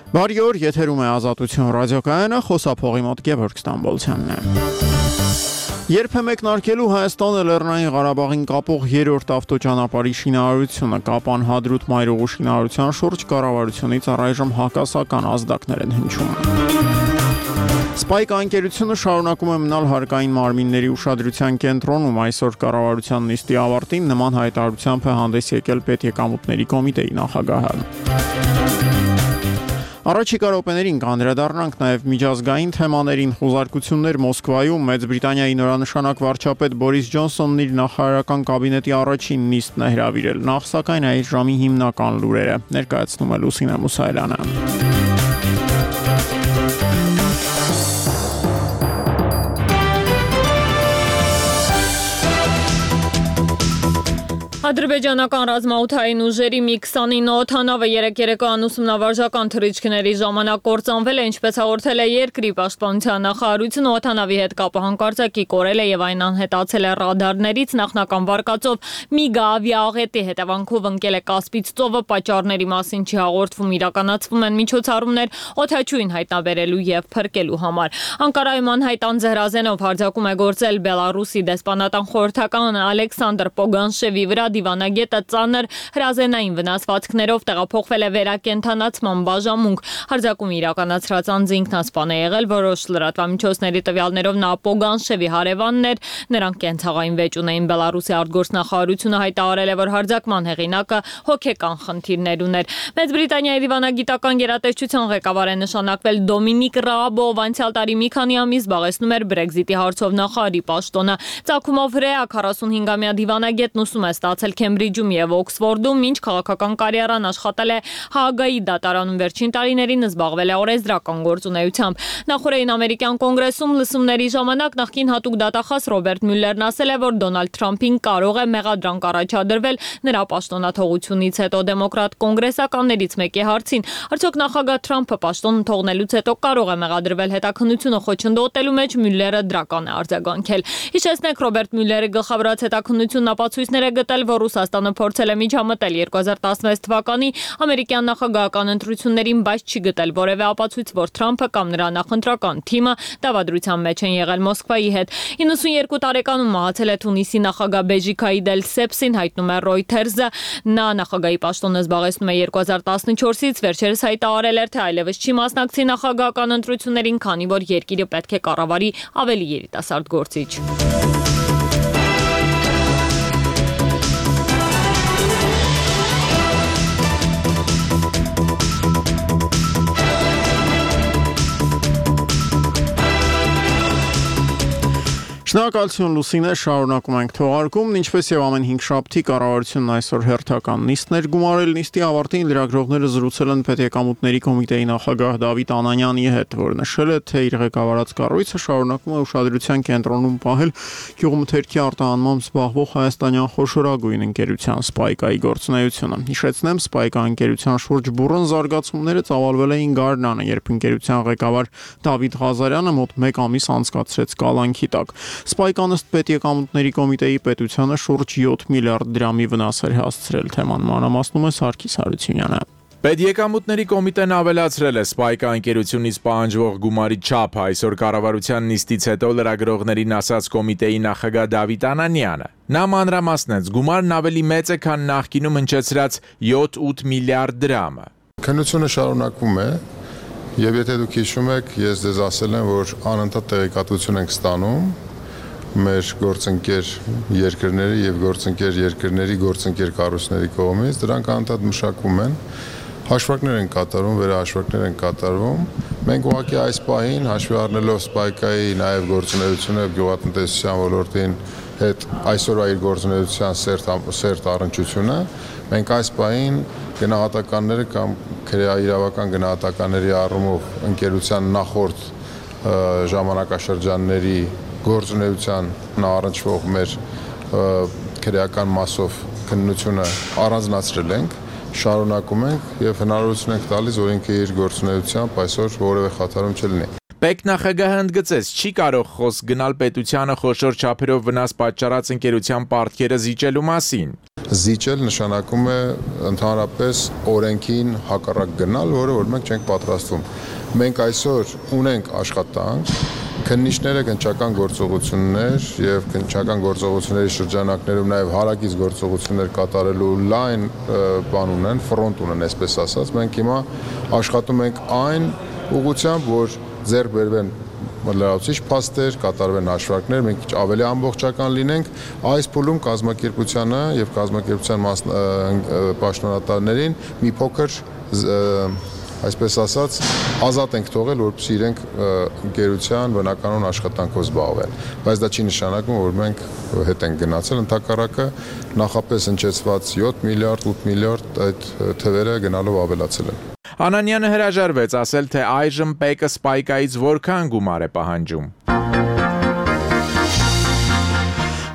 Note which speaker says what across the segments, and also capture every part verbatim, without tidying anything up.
Speaker 1: Բարի օր, եթերում է Ազատություն ռադիոկայանը, խոսափողի մոտ Գևորգ Ստամբոլցյանն է։ Երբ է մեկնարկելու Հայաստանը Լեռնային Ղարաբաղին կապող երրորդ ավտոճանապարհի շինարարությունը, Կապան Հադրութ մայրուղու շինարարության շուրջ կառավարությունից առայժմ հակասական ազդակներ են հնչում։ Սպայք անկերությունը շարունակում է մնալ հարկային մարմինների ուշադրության կենտրոնում, այսօր կառավարության նիստի ավարտին նման հայտարարությամբ է հանդես եկել Պետեկամուտների կոմիտեի նախագահը։ Առաջիկա րոպեներին կանդրադառնանք նաև միջազգային թեմաներին, խուզարկություններ Մոսկվայում, Մեծ Բրիտանիայի նորանշանակ վարչապետ Բորիս Ջոնսոնն իր նախարարական կաբինետի առաջին նիստն է հրավիրել, նախ սակայն այս ժամի հիմնական լուրերը ներկայացնում է Լուսինե Մուսայելյանը։
Speaker 2: Ադրբեջանական ռազմաօդային ուժերի մի քսանինը օդանավը երեկ երեկոյան ուսումնավարժական թռիչքների ժամանակ կործանվել է, ինչպես հաղորդել է երկրի պաշտպանության նախարարությունը, օդանավի հետ կապը հանկարծակի կորել է եւ այն անհետացել է ռադարներից, նախնական վարկածով ՄԻԳ ավիաաղետի հետևանքով ընկել է Կասպից ծովը, պատճառների մասին չի հաղորդվում, իրականացվում են միջոցառումներ օդաչուին հայտնաբերելու եւ փրկելու համար։ Անկարայում անհայտ անձեռազենով հարձակում է գործել Բելարուսի դեսպանատան խորհրդական Ալեքսանդր Պոգանշևի վրա, դիվանագետը ծանր հրազենային վնասվածքներով տեղափոխվել է վերակենդանացման բաժանմունք։ Հարձակումը իրականացրած անձը ինքնասպան է եղել, որոշ լրատվամիջոցների տվյալներով նա Պոգանշևի հարևանն էր, նրանք կենցաղային վեճ ունեին։ Բելարուսի արտգործնախարարությունը հայտարարել է, որ հարձակման հեղինակը հոգեկան խնդիրներ ուներ։ Մեծ Բրիտանիայի դիվանագիտական գերատեսչության ղեկավար է նշանակվել Դոմինիկ Ռաաբը, ով անցյալ տարի մի քանի ամիս զբաղեցնում էր Բրեքզիտի հարցով նախարարի պաշտոնը։ Ծագումով հրեա քառասունհինգամյա դիվանագետն ուսում է ստացել Քեմբրիջում եւ Օքսֆորդում, ինչ քաղաքական կարիերան աշխատել է Հաագայի դատարանում, վերջին տարիներին զբաղվել է օրենսդրական գործունեությամբ։ Նախորդին ամերիկյան կոնգրեսում լսումների ժամանակ նախկին հատուկ դատախազ Ռոբերտ Մյուլլերն ասել է, որ Դոնալդ Թրամփին կարող է մեղադրանք առաջադրվել նրա պաշտոնաթողությունից հետո։ Դեմոկրատ կոնգրեսականներից մեկի հարցին, արդյոք նախագահ Թրամփը պաշտոնը թողնելուց հետո կարող է մեղադրվել հետաքննությունը խոչընդոտելու մեջ, Մյուլլերը դրական է արձագանքել։ Հիշեցնենք, Ռոբերտ Մյուլլերի գլխավորած հետաքննությունն ապացույցներ է գտել, որ Ռուսաստանը փորձել է միջամտել երկու հազար տասնվեց թվականի ամերիկյան նախագահական ընտրություններին, բայց չի գտել որևէ ապացույց, որ Թրամփը կամ նրա նախընտրական թիմը դավադրության մեջ են եղել Մոսկվայի հետ։ իննսունյերկու տարեկանում մահացել է Թունիսի նախագահ Բեժի Քայիդ Էլ-Սեփսին, հայտնում է Reuters-ը։ Նա նախագահի պաշտոնը զբաղեցնում է երկու հազար տասնչորսից, վերջերս հայտարարել էր, թե այլևս չի մասնակցի նախագահական ընտրություններին, քանի որ երկիրը պետք է կառավարի ավելի երիտասարդ գործիչ։
Speaker 1: Շնորհակալություն Լուսինե, շարունակում ենք թողարկումն, ինչպես եւ ամեն հինգշաբթի կառավարությունն այսօր հերթական նիստներ գումարել, նիստի ավարտին լրագրողները զրուցել են Պետեկամուտների կոմիտեի նախագահ Դավիթ Անանյանի հետ, որը նշել է, թե իր ղեկավարած կառույցը շարունակում է ուշադրության կենտրոնում պահել գյուղմթերքի արտահանմամբ զբաղվող հայաստանյան խոշորագույն ընկերության Սպայկայի գործունեությունը։ Հիշեցնեմ, Սպայկա ընկերության շուրջ բուռն զարգացումները ծավալվել էին գարնանը, երբ ընկերության ղեկավար Դավիթ Ղազարյանը մոտ մեկ ամիս անցկացրեց կալանքի տակ։ Սպայկան ըստ Պետեկամուտների կոմիտեի պետությանը շուրջ յոթ միլիարդ դրամի վնաս էր հասցրել, թեման մանրամասնում է Սարգիս Հարությունյանը։
Speaker 3: Պետեկամուտների կոմիտեն ավելացրել է Սպայկա ընկերությունից պահանջվող գումարի չափը, այսօր կառավարության նիստից հետո լրագրողներին ասաց կոմիտեի նախագահ Դավիթ Անանյանը։ Նա մանրամասնեց, գումարն ավելի մեծ է, քան նախկինում հնչեցրած յոթ-ութ միլիարդ դրամը։
Speaker 4: Քննությունը շարունակվում է, եւ եթե դուք հիշում եք, ես ձեզ ասել եմ, որ անընդհատ տեղեկատվություն ենք ստանում մեր գործընկեր երկրների եւ գործընկեր երկրների գործընկեր կառույցների կողմից, դրանք անընդհատ մշակվում են, հաշվարկներ են կատարվում, վերահաշվարկներ են կատարվում։ Մենք ուղղակի այս պահին հաշվի առնելով Սպայկայի նաեւ գործունեությունը եւ գյուղատնտեսության ոլորտին հետ այսօրվա իր գործունեության սերտ սերտ առնչությունը, մենք այս պահին գնահատականները կամ քրեաիրավական գնահատականների առումով ընկերության նախորդ ժամանակաշրջանների գործունեության առնչվող մեր քրեական մասով քննությունը առանձնացրել ենք, շարունակում ենք եւ հնարավորություն ենք տալիս, որ ինքը իր գործունեությամբ այսօր որևէ խաթարում չլինի։
Speaker 3: Պետնախագահը ընդգծեց, չի կարող խոսք գնալ պետությանը խոշոր չափերով վնաս պատճառած ընկերության պարտքերը զիջելու մասին։
Speaker 4: Զիջել նշանակում է ընդհանրապես օրենքին հակառակ գնալ, որը որ մենք չենք պատրաստվում։ Մենք այսօր ունենք աշխատանք, քննիչները քննչական գործողություններ եւ քննչական գործողությունների շրջանակներում նաեւ հարակից գործողություններ կատարելու լայն բան ունեն, ֆրոնտ ունեն, այսպես ասած, մենք հիմա աշխատում ենք այն ուղղությամբ, որ ձեռք բերվեն լրացուցիչ փաստեր, կատարվեն հաշվարկներ, մենք քիչ ավելի ամբողջական լինենք, այս փուլում կազմակերպությանը եւ կազմակերպության պաշտոնատարներին մի փոքր այսպես ասած, ազատ ենք թողել, որպեսզի իրենք ընկերության բնականոն աշխատանքով զբաղվեն։ Բայց դա չի նշանակում, որ մենք հետ ենք գնացել, ընդհակառակը նախապես հնչեցված յոթ միլիարդ, ութ միլիարդ այդ թվերը գնալով ավելացել են։
Speaker 3: Անանյանը հրաժարվեց ասել, թե այժմ ՊԵԿ-ը Սպայկայից որքան գումար է պահանջում։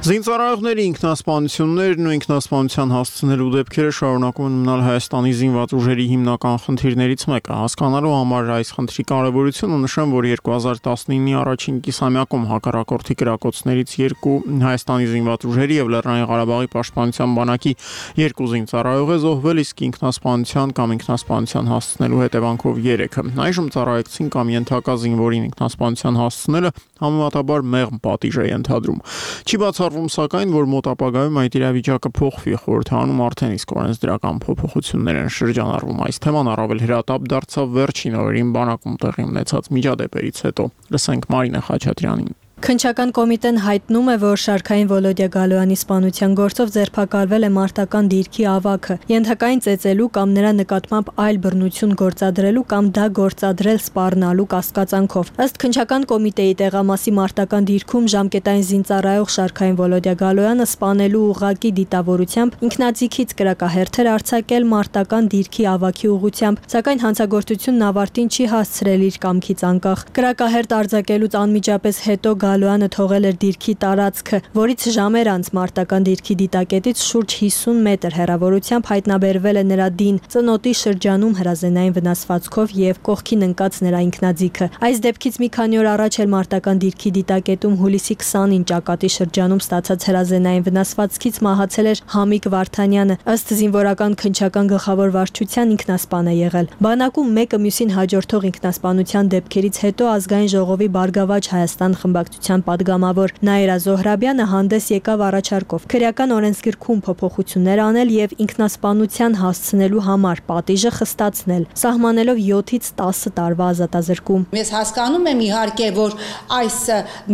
Speaker 1: Զինծառայողների ինքնասպանություններն ու ինքնասպանության հասցնելու դեպքերը շարունակում են մնալ Հայաստանի զինված ուժերի հիմնական խնդիրներից մեկը։ Հասկանալու համար այս խնդրի կարևորությունը նշեմ, որ երկու հազար տասնինի առաջին կիսամյակում հակառակորդի կրակոցներից երկու Հայաստանի զինված ուժերի եւ Լեռնային Ղարաբաղի պաշտպանության բանակի երկու զինծառայող է զոհվել, իսկ ինքնասպանության կամ ինքնասպանության հասցնելու հետևանքով երեքը։ Այժմ ծառայողին կամ ենթակա զինվորին ինքնասպանության հասցնելը համեմատաբար մեղմ պատիժ է ենթադրում։ Չի բացառվում սակայն, որ մոտ ապագայում այդ իրավիճակը փոխվի, խորհրդանում արդեն իսկ օրենսդրական փոփոխություններ են շրջանառվում։ Այս թեման առավել հրատապ դարձավ վերջին օրերին բանակում տեղի ունեցած միջադեպերից հետո։ Լսենք Մարինե Խաչատրյանին։
Speaker 5: Քննչական կոմիտեն հայտնում է, որ Շարքային Վոլոդիա Գալոյանի սպանության գործով ձերբակալվել է մարտական դիրքի ավագը, ենթակային ծեծելու կամ նրա նկատմամբ այլ բռնություն գործադրելու կամ դա գործադրել սպառնալու կասկածանքով։ Ըստ քննչական կոմիտեի տեղամասի մարտական դիրքում ժամկետային զինծառայող Շարքային Վոլոդիա Գալոյանը սպանելու ուղղակի դիտավորությամբ ինքնաձիգից կրակահերթ էր արձակել մարտական դիրքի ավագի ուղղությամբ, սակայն հանցագործությունն ավարտին չի հասցրել իր կամքից անկախ։ Կրակահերթ արձակելուց անմիջապես հետո Գալոյանը թողել էր դիրքի տարածքը, որից ժամեր անց մարտական դիրքի դիտակետից շուրջ հիսուն մետր հեռավորությամբ հայտնաբերվել է նրա դին ծնոտի շրջանում հրազենային վնասվածքով եւ կողքին ընկած նրա ինքնաձիգը։ Այս դեպքից մի քանի օր առաջ էլ մարտական դիրքի դիտակետում հուլիսի քսանին Ճակատի շրջանում ստացած հրազենային վնասվածքից մահացել էր Համիկ Վարդանյանը, ըստ զինվորական քննչական գլխավոր վարչության ինքնասպան է եղել։ Բանակում մեկը մյուսին հաջորդող ինքնասպանության դեպքերից հետո ազգային ժողովի Բարգավաճ Հայաստան խմբակցության падգամավոր Նաիրա Զոհրաբյանը հանդես եկավ առաջարկով քրեական օրենսգրքում փոփոխություններ անել եւ ինքնասպանության հասցնելու համար պատիժը խստացնել, սահմանելով յոթից տասը տարվա ազատազրկում։
Speaker 6: Ես հասկանում եմ իհարկե, որ այս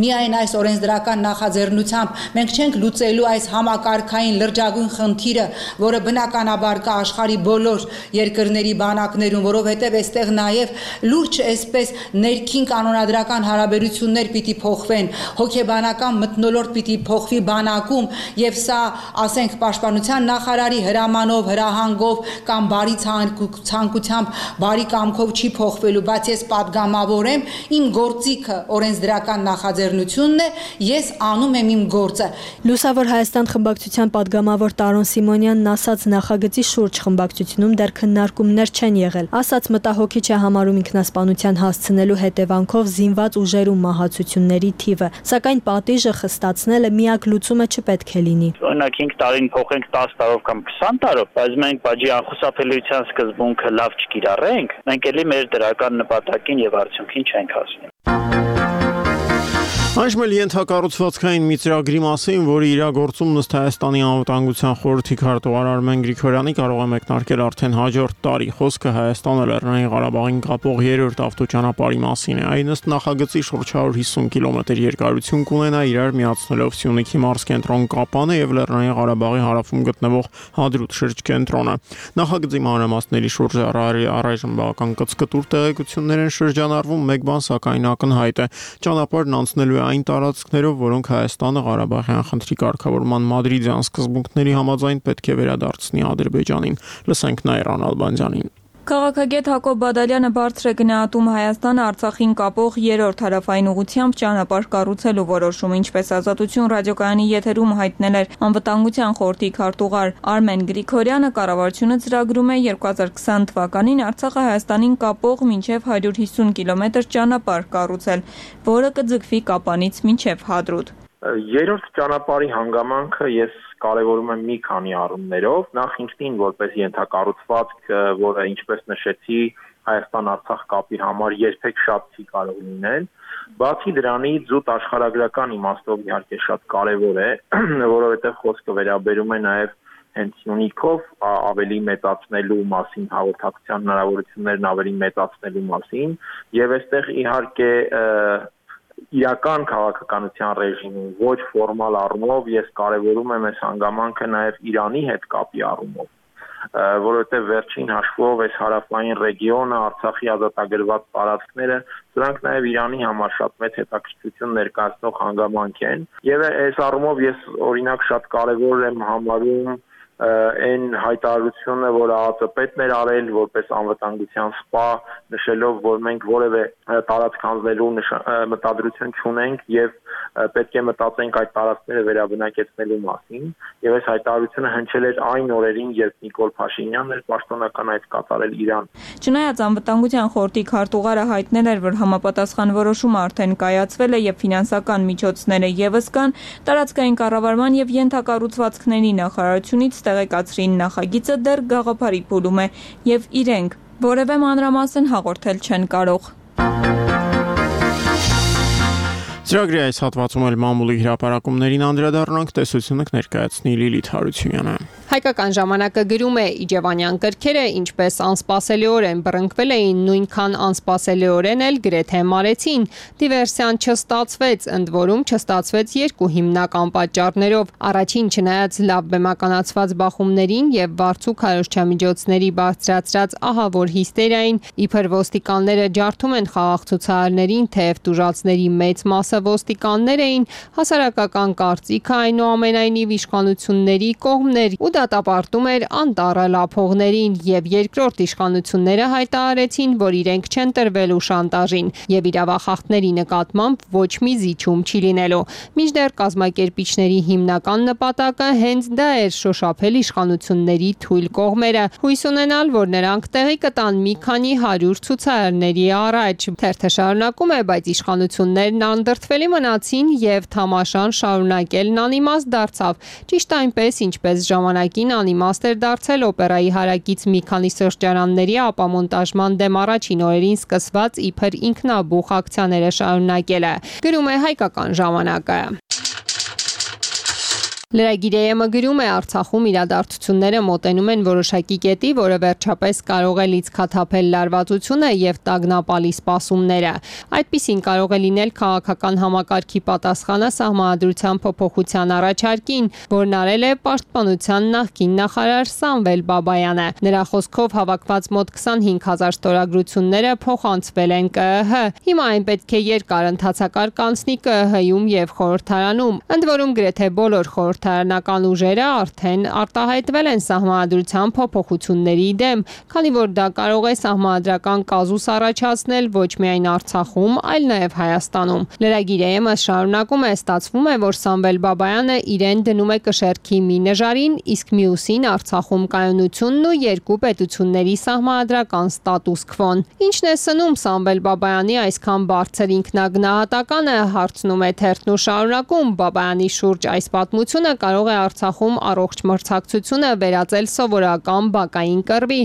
Speaker 6: միայն այս օրենսդրական նախաձեռնությամբ մենք չենք լուծելու այս համակարգային լրջագույն խնդիրը, որը բնականաբար կա աշխարհի բոլոր երկրների բանակներում, որովհետեւ այստեղ նաեւ լուրջ այսպես ներքին կանոնադրական հարաբերություններ պիտի փոխվեն, հոգեբանական մթնոլորտ պիտի փոխվի բանակում եւ սա, ասենք, պաշտպանության նախարարի հրամանով, հրահանգով կամ բարի ցանկությամբ, բարի կամքով չի փոխվելու, բայց ես падգամավոր եմ, իմ գործիքը օրենսդրական նախաձեռնությունն է, ես անում եմ իմ գործը։
Speaker 5: Լուսավոր Հայաստան խմբակցության падգամավոր Տարոն Սիմոնյանն ասաց, նախագծի շուրջ խմբակցությունում դեռ քննարկումներ չեն եղել, ասաց մտահոգիչ է համարում ինքնասպանության հասցնելու հետևանքով զինված ուժերում մահացությունների թիվը, սակայն պատիժը խստացնելը միակ լուծումը չպետք է լինի։
Speaker 7: Օրինակ հինգ տարին փոխենք տասը տարով կամ քսան տարով, բայց մենք բաժի անխուսափելիության սկզբունքը լավ չկիրառենք, մենք էլի մեր դրական նպատակին եւ արդյունքին չենք հասնի։
Speaker 1: Այժմ էլ ենթակառուցվածքային մի ծրագրի մասին, որի իրագործումն ըստ Հայաստանի անվտանգության խորհրդի քարտուղար Արմեն Գրիգորյանի կարող է մեկնարկել արդեն հաջորդ տարի։ Խոսքը Հայաստանը Լեռնային Ղարաբաղին կապող երրորդ ավտոճանապարհի մասին է։ Այն ըստ նախագծի շուրջ հարյուր հիսուն կիլոմետր երկարություն կունենա, իրար միացնելով Սյունիքի մարզկենտրոն Կապանը եւ Լեռնային Ղարաբաղի հարավում գտնվող Հադրութ շրջկենտրոնը։ Նախագծի մանրամասների շուրջ առայժմ բավական կծկտուր տեղեկություններ են շրջանառվում, մեկ բան սակայն ակնհայտ է։ Ճանապարհն անցնելու է այն տարածքներով, որոնք Հայաստանը Ղարաբաղյան խնդրի կարգավորման մադրիդյան սկզբունքների համաձայն պետք է վերադարձնի Ադրբեջանին։ Լսենք Նաիրան Ալբանդյանին։
Speaker 2: Քաղաքագետ Հակոբ Բադալյանը բարձր է գնահատում Հայաստանը Արցախին կապող երրորդ հարավային ուղղությամբ ճանապարհ կառուցելու որոշումը, ինչպես Ազատություն ռադիոկայանի եթերում հայտնել էր անվտանգության խորհրդի քարտուղար Արմեն Գրիգորյանը, կառավարությունը ծրագրում է երկու հազար քսան թվականին Արցախը Հայաստանին կապող մինչև հարյուր հիսուն կիլոմետր ճանապարհ կառուցել, որը կձգվի Կապանից մինչև Հադրութ։
Speaker 8: Երրորդ ճանապարհի հանգամանքը ես կարևորում եմ մի քանի առումներով, նախ ինքնին որպես ենթակառուցվածք, որը ինչպես նշեցի, Հայաստան-Արցախ կապի համար երբեք շատ չի կարող լինել, բացի դրանից զուտ աշխարհագրական իմաստով իհարկե շատ կարևոր է, որովհետև խոսքը վերաբերում է նաև հենց Սյունիքով ավելի մեծացնելու մասին, հաղորդակցության հնարավորություններն ավելի մեծացնելու մասին, եւ այստեղ իհարկե իրական քաղաքականության ռեժիմում, ոչ ֆորմալ առումով ես կարևորում եմ այս հանգամանքը նաև Իրանի հետ կապի առումով, որովհետև վերջին հաշվով այս հարավային ռեգիոնը, Արցախի ազատագրված տարածքները, դրանք նաև Իրանի համար շատ մեծ հետաքրքրություն ներկայացնող հանգամանք են, եւ այս առումով ես օրինակ շատ կարևոր եմ համարում այն հայտարարությունը, որ ԱԱԾ-պետն էր արել որպես անվտանգության սպա, նշելով, որ մենք որևէ տարածք հանձնելու մտադրություն չունենք եւ պետք է մտածենք այդ տարածքները վերաբնակեցնելու մասին, եւ այս հայտարարությունը հնչել էր այն օրերին, երբ Նիկոլ Փաշինյանն էր պաշտոնական այդ կատարել Իրան։
Speaker 2: Չնայած անվտանգության խորհրդի քարտուղարը հայտնել էր, որ համապատասխան որոշումը արդեն կայացվել է եւ ֆինանսական միջոցները եւս կան, տարածքային կառավարման եւ ենթակառուցվածքների նախարարությունից տեղեկացրին նախագիծը դեռ գաղափարի փուլում է եւ իրենք որևէ մանրամասն հաղորդել չեն կարող։
Speaker 1: Ծրագրի այս հատվածում էլ մամուլի հրապարակումներին անդրադառնանք, տեսությունը կներկայացնի Լիլիթ Հարությունյանը։
Speaker 9: Հայկական ժամանակը գրում է Իջևանյան կրքերը ինչպես անսպասելիորեն բռնկվել էին, նույնքան անսպասելիորեն էլ գրեթե մարեցին։ Դիվերսիան չստացվեց, ընդ որում չստացվեց երկու հիմնական պատճառներով։ Առաջին, չնայած լավ բեմականացված բախումներին եւ վարձու քարոզչամիջոցների բարձրացրած ահավոր հիստերիային, իբր ոստիկանները ջարդում են խաղաղ ցուցարարներին, թեև տուժածների մեծ մասը ոստիկաններ էին, հասարակական կարծիքը այնուամենայնիվ իշխանությունների կողմներ ու դատապարտում էր անտառը լափողներին եւ երկրորդ իշխանությունները հայտարարեցին, որ իրենք չեն տրվելու շանտաժին եւ իրավախախտների նկատմամբ ոչ մի զիջում չի լինելու։ Մինչդեռ կազմակերպիչների հիմնական նպատակը հենց դա էր՝ շոշափել իշխանությունների թույլ կողմերը, հույս ունենալ, որ նրանք տեղի կտան մի քանի հարյուր ցուցարարների առաջ։ Թերթը շարունակում է, բայց իշխանություններն անդրդվելի մնացին եւ թամաշան շարունակելն անիմաստ դարձավ։ Ճիշտ այնպես, ինչպես ժամանակին անիմաստ էր դարձել օպերայի հարակից մի քանի սրճարանների ապամոնտաժման դեմ առաջին օրերին սկսված իբր ինքնաբուխ ակցիաները շարունակելը։ Գրում է Հայկական ժամանակը։ Լրագիր-ը գրում է Արցախում իրադարձությունները մոտենում են որոշակի կետի, որը վերջապես կարող է լիցքաթափել լարվածությունը եւ տագնապալի սպասումները։ Այդպիսին կարող է լինել քաղաքական համակարգի պատասխանը սահմանադրության փոփոխության առաջարկին, որն արել է Պաշտպանության նախկին նախարար Սամվել Բաբայանը։ Նրա խոսքով հավաքված մոտ քսանհինգ հազար ստորագրությունները փոխանցվել են ԿԸՀ։ Հիմա այն պետք է երկար ընթացակարգ անցնի ԿԸՀ-ում եւ խորհրդարանում։ Ընդ որում գրեթե բոլոր խորհրդ Խորհրդարանական ուժերը արդեն արտահայտվել են սահմանադրության փոփոխությունների դեմ, քանի որ դա կարող է սահմանադրական կազուս առաջացնել ոչ միայն Արցախում, այլ նաև Հայաստանում։ Լրագիր-ը շարունակում է, ստացվում է, որ Սամվել Բաբայանը իրեն դնում է կշեռքի մի նժարին, իսկ մյուսին Արցախում կայունությունն ու երկու պետությունների սահմանադրական ստատուս քվոն։ Ինչն է սնում Սամվել Բաբայանի այսքան բարձր ինքնագնահատականը, հարցնում է թերթն ու շարունակում, Բաբայանի շուրջ այս պատմությունը կարող է Արցախում առողջ մրցակցությունը վերածել սովորական բակային կռվի։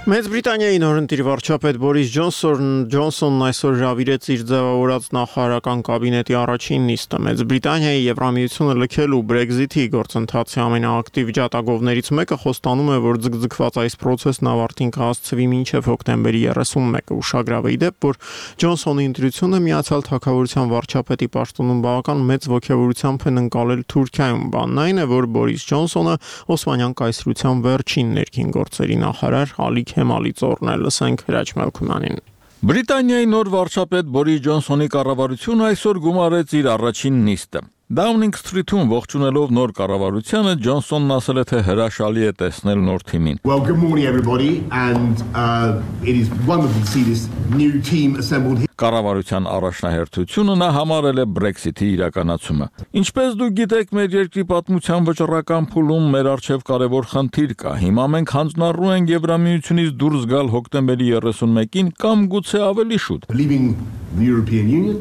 Speaker 1: Մեծ Բրիտանիայի նորընտիր վարչապետ Բորիս Ջոնսոնն Ջոնսոնն այսօր հրավիրեց իր ձևավորած նախարարական կաբինետի առաջին նիստը։ Մեծ Բրիտանիայի Եվրամիությունը լքելու Brexit-ի գործընթացի ամենաակտիվ ջատագովներից մեկը խոստանում է, որ ձգձգված այս process-ն ավարտին կհասցվի մինչև հոկտեմբերի երեսունմեկը։ Ուշագրավ է ի դեպ, որ Ջոնսոնի ընտրությունը Միացյալ Թագավորության վարչապետի պաշտոնում բավական մեծ ոգևորությամբ են ընկալել Թուրքիայում։ Բանն այն է, որ Բորիս Ջոնսոնը Օսմանյան կայսրության վերջին ներքին գործերի նախարար Ալի Քեմալի ծորն է, լսենք Հրաչ Մելքումյանին։
Speaker 10: Բրիտանիայի նոր վարչապետ Բորիս Ջոնսոնի կառավարությունը այսօր գումարեց իր առաջին նիստը։ Downing Street-ում ողջունելով նոր կառավարությանը Ջոնսոնն ասել է, թե հրաշալի է տեսնել նոր թիմին։
Speaker 11: Well, good morning everybody and uh, it is wonderful to see this new team assembled here.
Speaker 10: Կառավարության առաջնահերթությունը նա համարել է Brexit-ի իրականացումը։ Ինչպես դուք գիտեք, մեր երկրի պատմության վճռական փուլում մեր առջև կարևոր խնդիր կա։ Հիմա մենք հանձնառու ենք Եվրամիությունից դուրս գալ հոկտեմբերի երեսունմեկին կամ գուցե ավելի շուտ։
Speaker 11: Leaving the European Union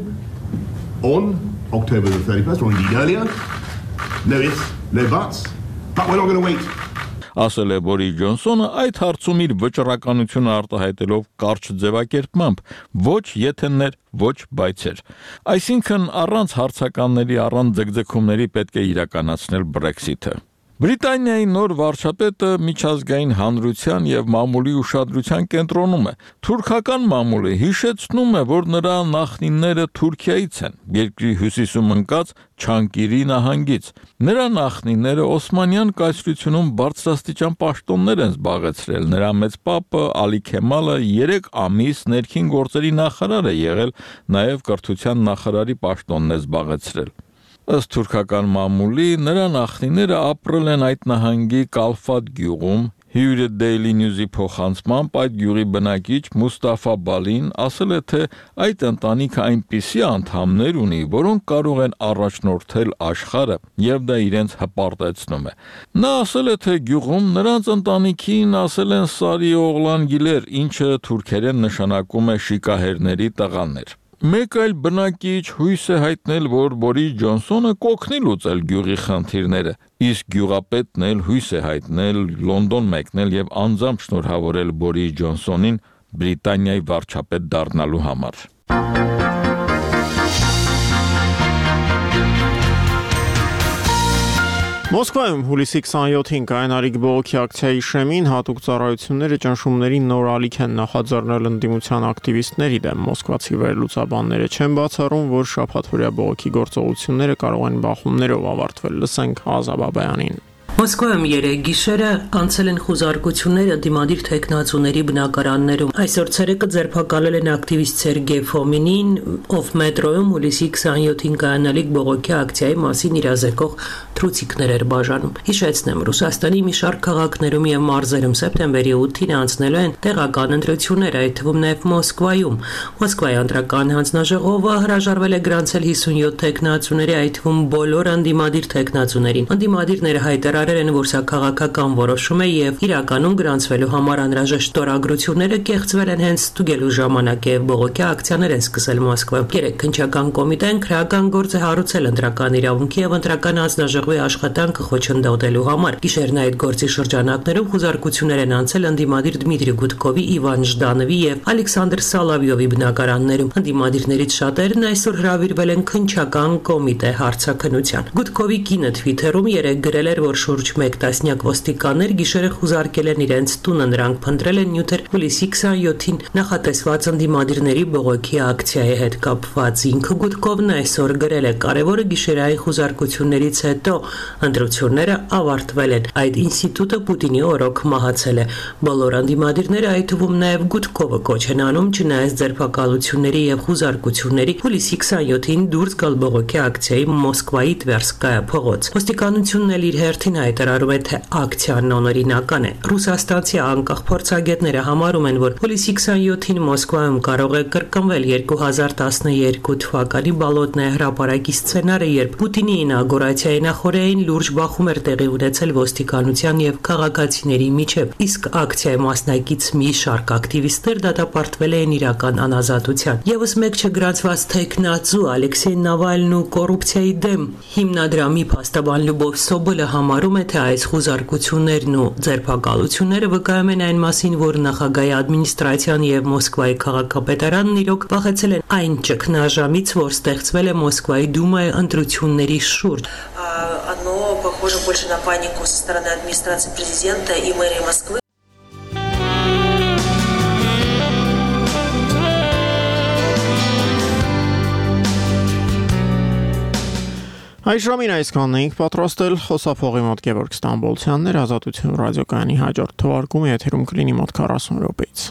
Speaker 11: on October the thirty-first, or indeed earlier. No ifs, no buts, but we're not going to wait.
Speaker 10: Ասել է Բորիս Ջոնսոնը այդ հարցում իր վճռականությունը արտահայտելով կարճ ձևակերպմամբ ոչ եթեններ, ոչ բայցեր։ Այսինքն առանց հարցականների, առանց ձգձգումների պետք է իրականացնել Brexit-ը։ Բրիտանիայի նոր վարչապետը միջազգային հանրության եւ մամուլի ուշադրության կենտրոնում է։ Թուրքական մամուլը հիշեցնում է, որ նրա նախնիները Թուրքիայից են, երկրի հյուսիսում ընկած Չանկիրի նահանգից։ Նրա նախնիները Օսմանյան կայսրությունում բարձրաստիճան պաշտոններ են զբաղեցրել։ Նրա մեծ պապը Ալի Քեմալը երեք ամիս ներքին գործերի նախարար է եղել, նաեւ կրթության նախարարի պաշտոնն է զբաղեցրել։ Ըստ թուրքական մամուլի նրա նախնիները ապրել են այդ նահանգի Կալֆատ գյուղում։ Հյուրը Daily News-ի փոխանցմամբ այդ գյուղի բնակիչ Մուստաֆա Բալին ասել է, թե այդ ընտանիքը այնպիսի անդամներ ունի, որոնք կարող են առաջնորդել աշխարհը, եւ դա իրենց հպարտեցնում է։ Նա ասել է, թե գյուղում նրանց ընտանիքին ասել են Սարի օղլան գիլեր, ինչը թուրքերեն նշանակում է շիկահերների տղաներ։ Մեկ այլ բնակիչ հույս է հայտնել, որ Բորիս Ջոնսոնը կօգնի լուծել գյուղի խնդիրները, իսկ գյուղապետն էլ հույս է հայտնել Լոնդոն մեկնել եւ անձամբ շնորհավորել Բորիս Ջոնսոնին Բրիտանիայի վարչապետ դառնալու համար։
Speaker 1: Մոսկվայում հուլիսի քսանյոթին կայանալիք բողոքի ակցիայի շեմին հատուկ ծառայությունները ճնշումներին նոր ալիք են նախաձեռնել ընդդիմության ակտիվիստների դեմ։ Մոսկվացի վերլուծաբանները չեն բացառում, որ շաբաթօրյա բողոքի գործողությունները կարող են բախումներով ավարտվել։ Լսենք Ազա Բաբայանին։
Speaker 12: Մոսկվայում երեկ գիշերը անցել են խուզարկություններ ընդդիմադիր թեկնածուների բնակարաններում։ Այսօր ցերեկը ձերբակալել են ակտիվիստ Սերգեյ Ֆոմինին, ով մետրոյում հուլիսի քսանյոթին կայանալիք բողոքի ակցիայի մասին իրազեկող թրուցիկներ էր բաժանում։ Հիշեցնեմ, Ռուսաստանի մի շարք քաղաքներում եւ մարզերում սեպտեմբերի ութին անցնելու են տեղական ընտրություններ, այդ թվում նաեւ Մոսկվայում։ Մոսկվայի ընտրական հանձնաժողովը հրաժարվել է գրանցել հիսունյոթ թեկնածուների, այդ թվում բոլոր ընդդիմադիր թեկնածուներին։ Ընդդիմադիրները հայտարարել են, որ սա քաղաքական որոշում է եւ իրականում գրանցվելու համար անհրաժեշտ ստորագրությունները կեղծվել են հենց ստուգելու ժամանակ եւ բողոքի ակցիաներ են սկսել Մոսկվայում։ Երեք քննչական կոմիտեն քրեական գործ է հարուցել ընտրական իրավունքի եւ ընտրական հանձնաժողովի աշխատանքը խոչընդոտելու համար։ Գիշերն այդ գործի շրջանակներում խուզարկություններ են անցել ընդդիմադիր Դմիտրի Գուդկովի, Իվան Ժդանովի եւ Ալեքսանդր Սալավյովի բնակարաններում։ Ընդդիմադիրներից շատերն այսօր հրավիրվել են քննչական կոմիտե հարցաքննության։ Գուդկովի կինը Twitter-ում երեկ գրել էր, որ շուրջ մեկ տասնյակ ոստիկաններ գիշերը խուզարկել են իրենց տունը, նրանք փնտրել են նյութեր հուլիսի քսանյոթին նախատեսված ընդդիմադիրների բողոքի ակցիայի հետ կապված։ Ինքը Գուդկովն այսօր գրել է. կարևորը գիշերային խուզարկություններից հետո ընտրությունները ավարտվել են։ Այդ ինստիտուտը Պուտինի օրոք մահացել է։ Բոլոր ընդդիմադիրները, այդ թվում նաև Գուդկովը, կոչ են անում չնայած ձերբակալությունների եւ խուզարկությունների հուլիսի քսանյոթին դուրս գալ բողոքի ակցիայի Մոսկվայի Տվերսկայա փողոց։ Ոստիկանությունն էլ իր հերթին հայտարարում է, թե ակցիան անօրինական է։ Ռուսաստանցի անկախ փորձագետները համարում են, որ հուլիսի քսանյոթին Մոսկվայում կարող է կրկնվել երկու հազար տասներկու թվականի Բոլոտնայա հրապարակի սցենարը, երբ Պուտինի ինագուրացիայի նախօրեին լուրջ բախում էր տեղի ունեցել ոստիկանության եւ քաղաքացիների միջեւ, իսկ ակցիայի մասնակից մի շարք ակտիվիստներ դատապարտվել էին իրական անազատության։ Եվս մեկ չգրանցված թեկնածու Ալեքսեյ Նավալնու կոռուպցիայի դեմ հիմնադրամի փաստաբան Լյուբով Սոբոլը համարում է, թե այս խուզարկություններն ու ձերբակալությունները վկայում են այն մասին, որ նախագահի ադմինիստրացիան եւ Մոսկվայի քաղաքապետարանն իրոք վախեցել են այն ճգնաժամից, որ ստեղծվել է Մոսկվայի դումայի ընտրությունների շուրջ։
Speaker 13: Оно похоже больше на панику со стороны администрации президента и мэрии Москвы.
Speaker 1: Այժմին այսքանն էինք պատրաստել, խոսափողի մոտ Գևորգ Ստամբոլցյանն էր, Ազատություն ռադիոկայանի հաջորդ թողարկումը եթերում կլինի մոտ քառասուն րոպեից։